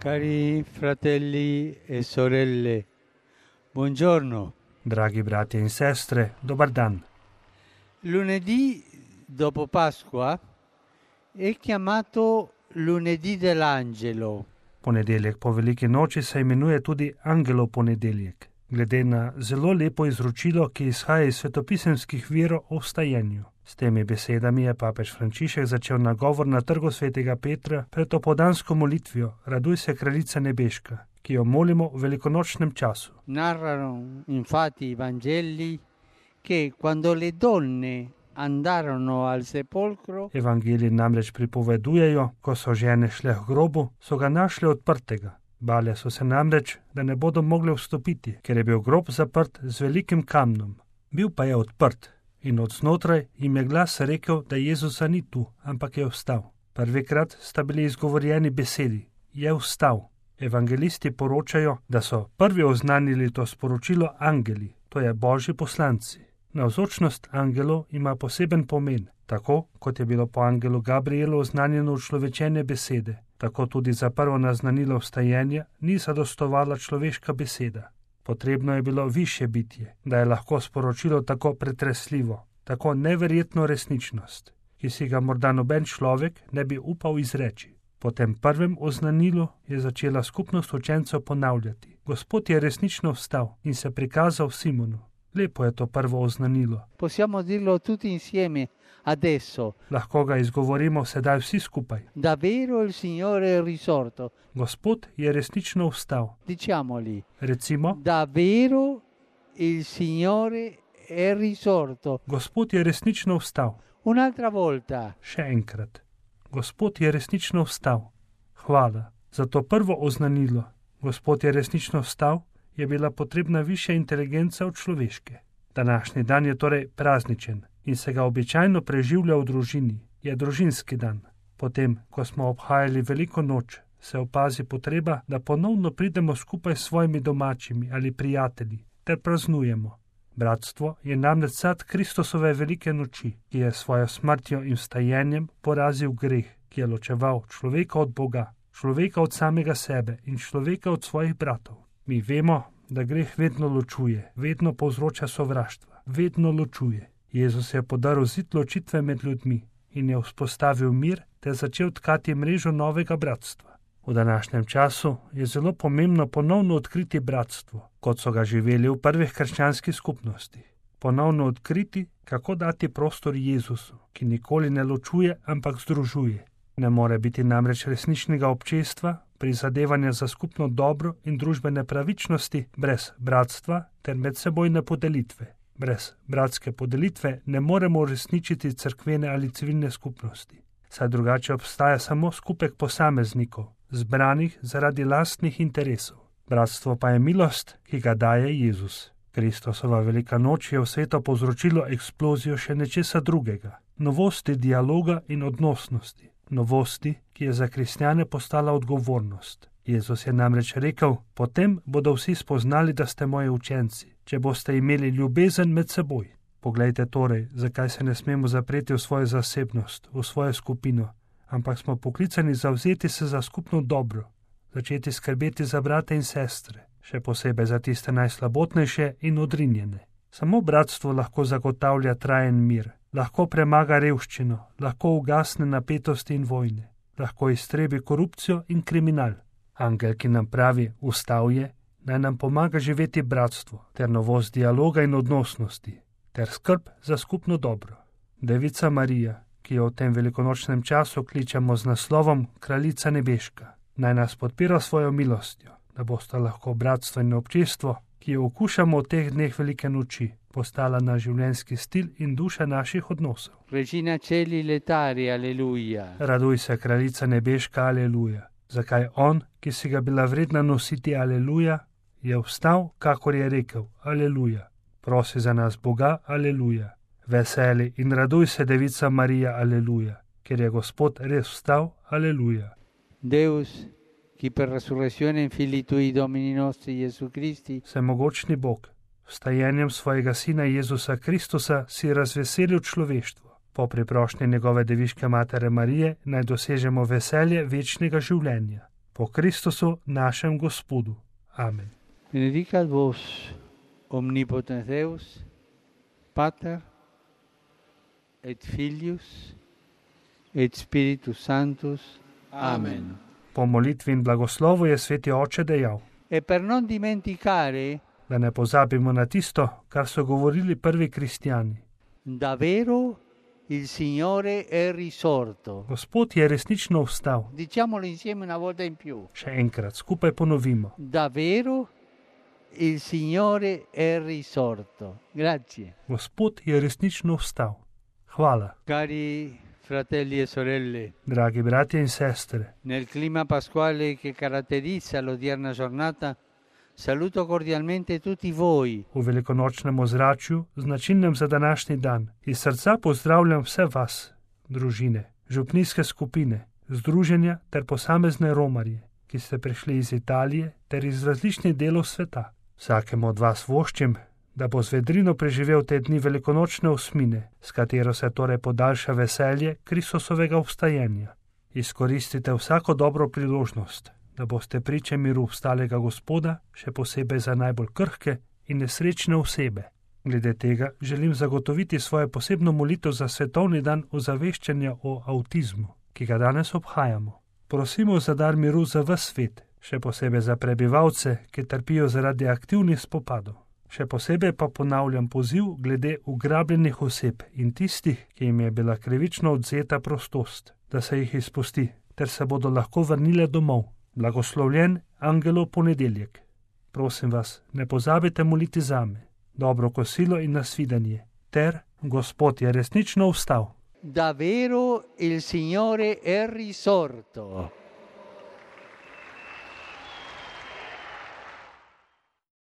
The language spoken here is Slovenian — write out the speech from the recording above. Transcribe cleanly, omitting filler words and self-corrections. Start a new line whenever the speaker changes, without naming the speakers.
Cari fratelli e sorelle, buongiorno.
Dragi bratje in sestre, dobar dan.
Lunedì dopo Pasqua è chiamato lunedì dell'angelo.
Ponedeljek po veliki noči se imenuje tudi Angelov ponedeljek, glede na zelo lepo izročilo, ki izhaja iz svetopisemskih virov o vstajenju. S temi besedami je papež Frančišek začel nagovor na trgu svetega Petra pred opoldansko molitvijo Raduj se, kraljica nebeška, ki jo molimo v velikonočnem času.
Narrano infatti i Vangeli che quando le donne andarono al sepolcro
Evangeliji namreč pripovedujejo, ko so žene šle k grobu, so ga našle odprtega. Bale so se namreč, da ne bodo mogle vstopiti, ker je bil grob zaprt z velikim kamnom. Bil pa je odprt in od znotraj jim je glas rekel, da Jezusa ni tu, ampak je vstal. Prvikrat sta bili izgovorjeni besedi, je vstal. Evangelisti poročajo, da so prvi oznanili to sporočilo angeli, to je božji poslanci. Navzočnost angelov ima poseben pomen, tako kot je bilo po angelu Gabrielu oznanjeno človečene besede, tako tudi za prvo naznanilo vstajenja ni zadostovala človeška beseda. Potrebno je bilo višje bitje, da je lahko sporočilo tako pretresljivo, tako neverjetno resničnost, ki si ga morda noben človek ne bi upal izreči. Po tem prvem oznanilu je začela skupnost učencev ponavljati. Gospod je resnično vstal in se prikazal Simonu. Lepo je to prvo oznanilo.
Possiamo dirlo tutti insieme adesso.
Lahko ga izgovorimo sedaj vsi skupaj.
Davvero il Signore è risorto.
Gospod je resnično vstal.
Diciamoli.
Recimo,
Davvero il Signore è risorto.
Gospod je resnično vstal.
Un'altra volta.
Še enkrat. Gospod je resnično vstal. Hvala. Za to prvo oznanilo, Gospod je resnično vstal, je bila potrebna višja inteligenca od človeške. Današnji dan je torej prazničen in se ga običajno preživlja v družini. Je družinski dan. Potem, ko smo obhajali veliko noč, se opazi potreba, da ponovno pridemo skupaj s svojimi domačimi ali prijatelji ter praznujemo. Bratstvo je namreč sad Kristusove velike noči, ki je svojo smrtjo in vstajenjem porazil greh, ki je ločeval človeka od Boga, človeka od samega sebe in človeka od svojih bratov. Mi vemo, da greh vedno ločuje, vedno povzroča sovraštva, vedno ločuje. Jezus je podaril zid ločitve med ljudmi in je vzpostavil mir ter začel tkati mrežo novega bratstva. V današnjem času je zelo pomembno ponovno odkriti bratstvo, kot so ga živeli v prvih krščanskih skupnostih. Ponovno odkriti, kako dati prostor Jezusu, ki nikoli ne ločuje, ampak združuje. Ne more biti namreč resničnega občestva, prizadevanja za skupno dobro in družbene pravičnosti brez bratstva ter medsebojne podelitve. Brez bratske podelitve ne moremo uresničiti cerkvene ali civilne skupnosti, saj drugače obstaja samo skupek posameznikov, zbranih zaradi lastnih interesov. Bratstvo pa je milost, ki ga daje Jezus. Kristusova velika noč je v svetu povzročilo eksplozijo še nečesa drugega, novosti dialoga in odnosnosti. Novosti, ki je za kristjane postala odgovornost. Jezus je namreč rekel, potem bodo vsi spoznali, da ste moji učenci, če boste imeli ljubezen med seboj. Poglejte torej, zakaj se ne smemo zapreti v svojo zasebnost, v svojo skupino, ampak smo poklicani zavzeti se za skupno dobro, začeti skrbeti za brate in sestre, še posebej za tiste najslabotnejše in odrinjene. Samo bratstvo lahko zagotavlja trajen mir. Lahko premaga revščino, lahko ugasne napetosti in vojne, lahko iztrebi korupcijo in kriminal. Angel, ki nam pravi, vstal je, naj nam pomaga živeti bratstvo, ter novost dialoga in odnosnosti, ter skrb za skupno dobro. Devica Marija, ki jo v tem velikonočnem času kličemo z naslovom Kraljica nebeška, naj nas podpira svojo milostjo, da boste lahko bratstvo in občestvo, ki jo okušamo v teh dneh velike noči, postala na življenjski stil in duša naših odnosov.
Regina Celi letari, aleluja.
Raduj se, kraljica nebeška, aleluja. Zakaj on, ki si ga bila vredna nositi, aleluja, je vstal, kakor je rekel, aleluja. Prosi za nas Boga, aleluja. Veseli in raduj se, devica Marija, aleluja, ker je Gospod res vstal, aleluja.
Deus, ki per resurrezione in Filii Tui Domini nostri Jesu Christi,
Vsemogočni Bog, vstajenjem svojega Sina Jezusa Kristusa si razveselil človeštvo. Po priprošnji njegove deviške matere Marije naj dosežemo veselje večnega življenja. Po Kristusu, našem Gospodu. Amen.
Benedicat vos omnipotens Deus, Pater et Filius et Spiritus Sanctus. Amen.
Po molitvi in blagoslovu je Sveti Oče dejal:
E per non dimenticare,
da ne pozabimo na tisto, kar so govorili prvi kristjani.
davvero il Signore è risorto.
Gospod je resnično vstal.
Diciamolo insieme una volta in più.
Še enkrat, skupaj ponovimo.
Davvero il Signore è risorto. Grazie.
Gospod je resnično vstal. Hvala.
Cari fratelli e sorelle,
Dragi bratje in sestre,
nel clima pasquale che caratterizza l'odierna giornata, saluto cordialmente tutti voi.
v velikonočnem ozračju, značilnem za današnji dan, iz srca pozdravljam vse vas, družine, župnijske skupine, združenja ter posamezne romarje, ki ste prišli iz Italije ter iz različnih delov sveta. Vsakemu od vas voščim, da bo z vedrino preživel te dni velikonočne osmine, s katero se torej podaljša veselje Kristusovega obstajenja. Izkoristite vsako dobro priložnost, da boste priče miru vstalega Gospoda, še posebej za najbolj krhke in nesrečne osebe. Glede tega želim zagotoviti svojo posebno molitev za svetovni dan ozaveščanja o avtizmu, ki ga danes obhajamo. Prosimo za dar miru za ves svet, še posebej za prebivalce, ki trpijo zaradi aktivnih spopadov. Še posebej pa ponavljam poziv glede ugrabljenih oseb in tistih, ki jim je bila krivično odvzeta prostost, da se jih izpusti, ter se bodo lahko vrnile domov. Blagoslovljen Angelov ponedeljek. Prosim vas, ne pozabite moliti zame. Dobro kosilo in nasvidenje. Ter Gospod je resnično vstal.
Davvero il Signore è risorto.